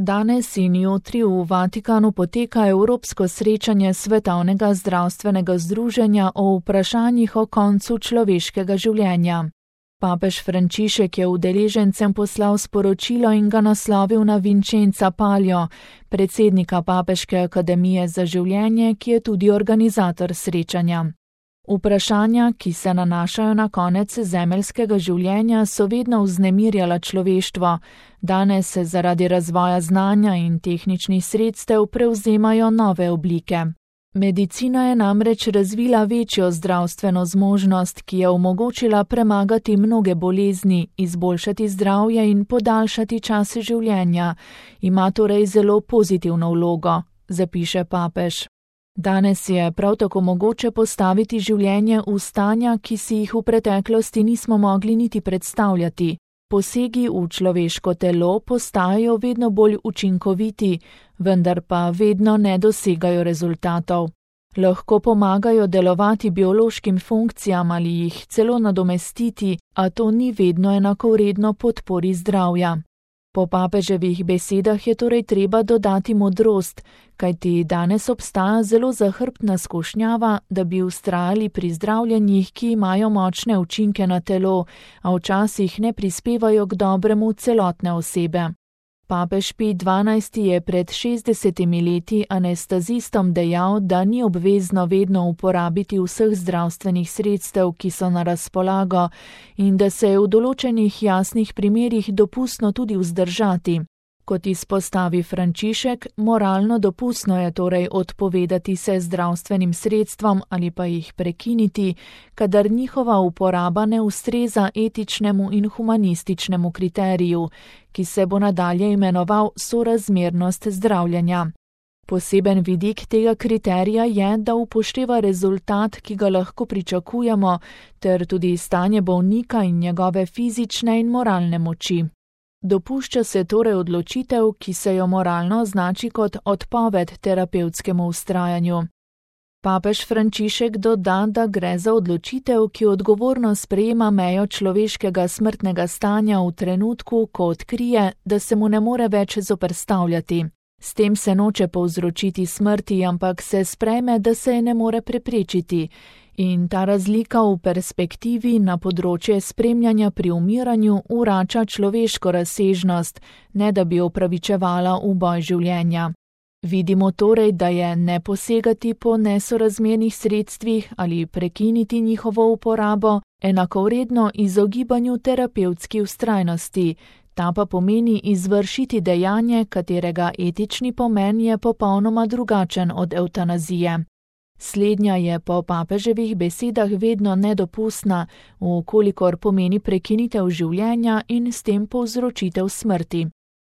Danes in jutri v Vatikanu poteka evropsko srečanje Svetovnega zdravstvenega združenja o vprašanjih o koncu človeškega življenja. Papež Frančišek je udeležencem poslal sporočilo in ga naslovil na Vincenza Palio, predsednika Papeške akademije za življenje, ki je tudi organizator srečanja. Vprašanja, ki se nanašajo na konec zemeljskega življenja, so vedno vznemirjala človeštvo. Danes se zaradi razvoja znanja in tehničnih sredstev prevzemajo nove oblike. Medicina je namreč razvila večjo zdravstveno zmožnost, ki je omogočila premagati mnoge bolezni, izboljšati zdravje in podaljšati čas življenja. Ima torej zelo pozitivno vlogo, zapiše papež. Danes je prav tako mogoče postaviti življenje v stanja, ki si jih v preteklosti nismo mogli niti predstavljati. Posegi v človeško telo postajajo vedno bolj učinkoviti, vendar pa vedno ne dosegajo rezultatov. Lahko pomagajo delovati biološkim funkcijam ali jih celo nadomestiti, a to ni vedno enakovredno podpori zdravja. Po papeževih besedah je torej treba dodati modrost, kajti danes obstaja zelo zahrbtna skušnjava, da bi vztrajali pri zdravljenjih, ki imajo močne učinke na telo, a včasih ne prispevajo k dobremu celotne osebe. Papež Pij XII je pred 60 leti anestezistom dejal, da ni obvezno vedno uporabiti vseh zdravstvenih sredstev, ki so na razpolago, in da se je v določenih jasnih primerih dopustno tudi vzdržati. Kot izpostavi Frančišek, moralno dopustno je torej odpovedati se zdravstvenim sredstvom ali pa jih prekiniti, kadar njihova uporaba ne ustreza etičnemu in humanističnemu kriteriju, ki se bo nadalje imenoval sorazmernost zdravljenja. Poseben vidik tega kriterija je, da upošteva rezultat, ki ga lahko pričakujemo, ter tudi stanje bolnika in njegove fizične in moralne moči. Dopušča se torej odločitev, ki se jo moralno označi kot odpoved terapevtskemu vztrajanju. Papež Frančišek doda, da gre za odločitev, ki odgovorno sprejema mejo človeškega smrtnega stanja v trenutku, ko odkrije, da se mu ne more več zoperstavljati. S tem se noče povzročiti smrti, ampak se sprejme, da se je ne more preprečiti. In ta razlika v perspektivi na področje spremljanja pri umiranju vrača človeško razsežnost, ne da bi opravičevala uboj življenja. Vidimo torej, da je ne posegati po nesorazmernih sredstvih ali prekiniti njihovo uporabo enakovredno izogibanju terapevtski vztrajnosti, ta pa pomeni izvršiti dejanje, katerega etični pomen je popolnoma drugačen od evtanazije. Slednja je po papeževih besedah vedno nedopustna, vkolikor pomeni prekinitev življenja in s tem povzročitev smrti.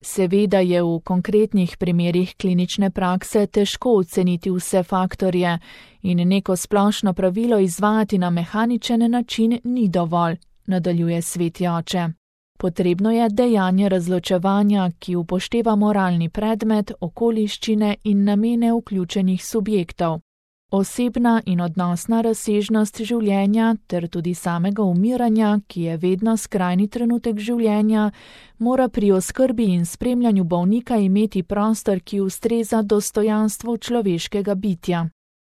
Seveda je v konkretnih primerih klinične prakse težko oceniti vse faktorje in neko splošno pravilo izvajati na mehaničen način ni dovolj, nadaljuje sveti oče. Potrebno je dejanje razločevanja, ki upošteva moralni predmet, okoliščine in namene vključenih subjektov. Osebna in odnosna razsežnost življenja ter tudi samega umiranja, ki je vedno skrajni trenutek življenja, mora pri oskrbi in spremljanju bolnika imeti prostor, ki ustreza dostojanstvu človeškega bitja.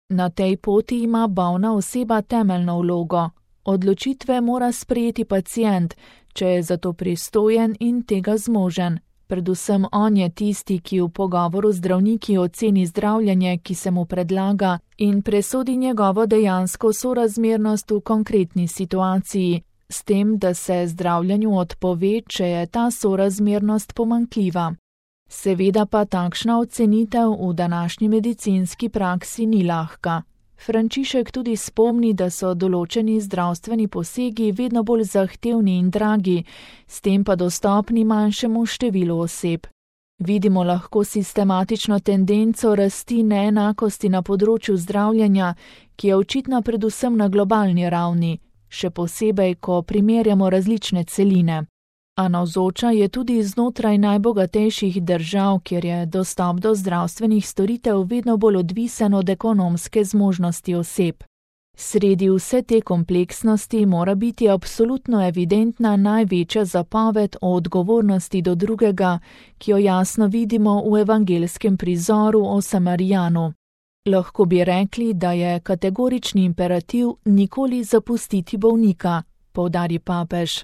Na tej poti ima bolna oseba temeljno vlogo. Odločitve mora sprejeti pacient, če je za to pristojen in tega zmožen. Predvsem on je tisti, ki v pogovoru z zdravniki oceni zdravljenje, ki se mu predlaga, in presodi njegovo dejansko sorazmernost v konkretni situaciji, s tem, da se zdravljenju odpove, če je ta sorazmernost pomanjkljiva. Seveda pa takšna ocenitev v današnji medicinski praksi ni lahka. Frančišek tudi spomni, da so določeni zdravstveni posegi vedno bolj zahtevni in dragi, s tem pa dostopni manjšemu številu oseb. Vidimo lahko sistematično tendenco rasti neenakosti na področju zdravljenja, ki je očitna predvsem na globalni ravni, še posebej, ko primerjamo različne celine. A navzoča je tudi znotraj najbogatejših držav, kjer je dostop do zdravstvenih storitev vedno bolj odvisen od ekonomske zmožnosti oseb. Sredi vse te kompleksnosti mora biti absolutno evidentna največja zapoved o odgovornosti do drugega, ki jo jasno vidimo v evangelskem prizoru o Samarijanu. Lahko bi rekli, da je kategorični imperativ nikoli zapustiti bolnika, poudari papež.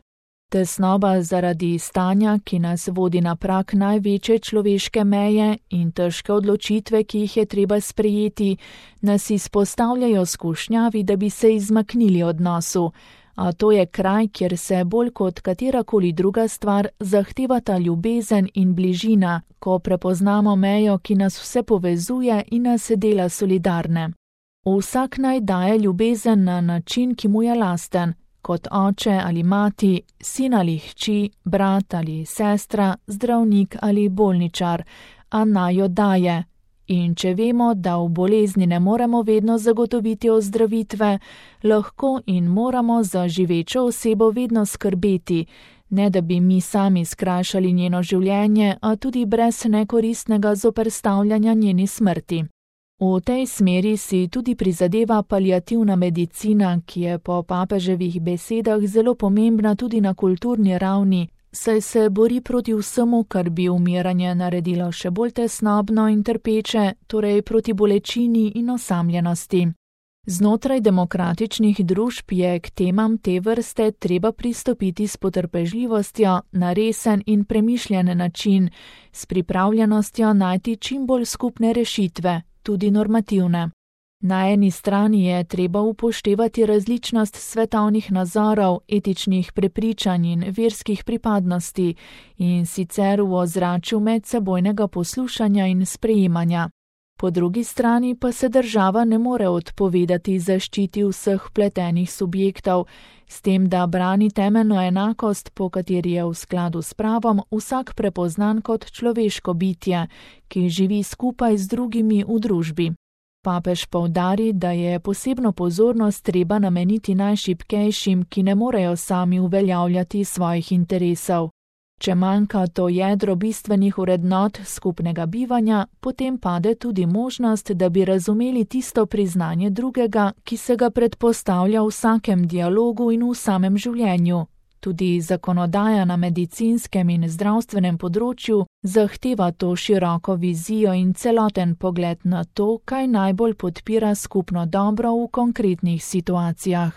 Tesnoba zaradi stanja, ki nas vodi na prag največje človeške meje in težke odločitve, ki jih je treba sprejeti, nas izpostavljajo skušnjavi, da bi se izmaknili odnosu, a to je kraj, kjer se bolj kot katerakoli druga stvar zahtevata ljubezen in bližina, ko prepoznamo mejo, ki nas vse povezuje in nas dela solidarne. Vsak naj daje ljubezen na način, ki mu je lasten, kot oče ali mati, sin ali hči, brat ali sestra, zdravnik ali bolničar, a naj jo daje. In če vemo, da v bolezni ne moremo vedno zagotoviti ozdravitve, lahko in moramo za živečo osebo vedno skrbeti, ne da bi mi sami skrajšali njeno življenje, a tudi brez nekoristnega zoperstavljanja njeni smrti. V tej smeri si tudi prizadeva paliativna medicina, ki je po papeževih besedah zelo pomembna tudi na kulturni ravni, saj se bori proti vsemu, kar bi umiranje naredilo še bolj tesnobno in trpeče, torej proti bolečini in osamljenosti. Znotraj demokratičnih družb je k temam te vrste treba pristopiti s potrpežljivostjo na resen in premišljen način, s pripravljenostjo najti čim bolj skupne rešitve, tudi normativne. Na eni strani je treba upoštevati različnost svetovnih nazorov, etičnih prepričanj in verskih pripadnosti in sicer v ozračju medsebojnega poslušanja in sprejemanja. Po drugi strani pa se država ne more odpovedati zaščiti vseh vpletenih subjektov, s tem, da brani temeljno enakost, po kateri je v skladu s pravom vsak prepoznan kot človeško bitje, ki živi skupaj z drugimi v družbi. Papež poudari, da je posebno pozornost treba nameniti najšibkejšim, ki ne morejo sami uveljavljati svojih interesov. Če manjka to jedro bistvenih vrednot skupnega bivanja, potem pade tudi možnost, da bi razumeli tisto priznanje drugega, ki se ga predpostavlja v vsakem dialogu in v samem življenju. Tudi zakonodaja na medicinskem in zdravstvenem področju zahteva to široko vizijo in celoten pogled na to, kaj najbolj podpira skupno dobro v konkretnih situacijah.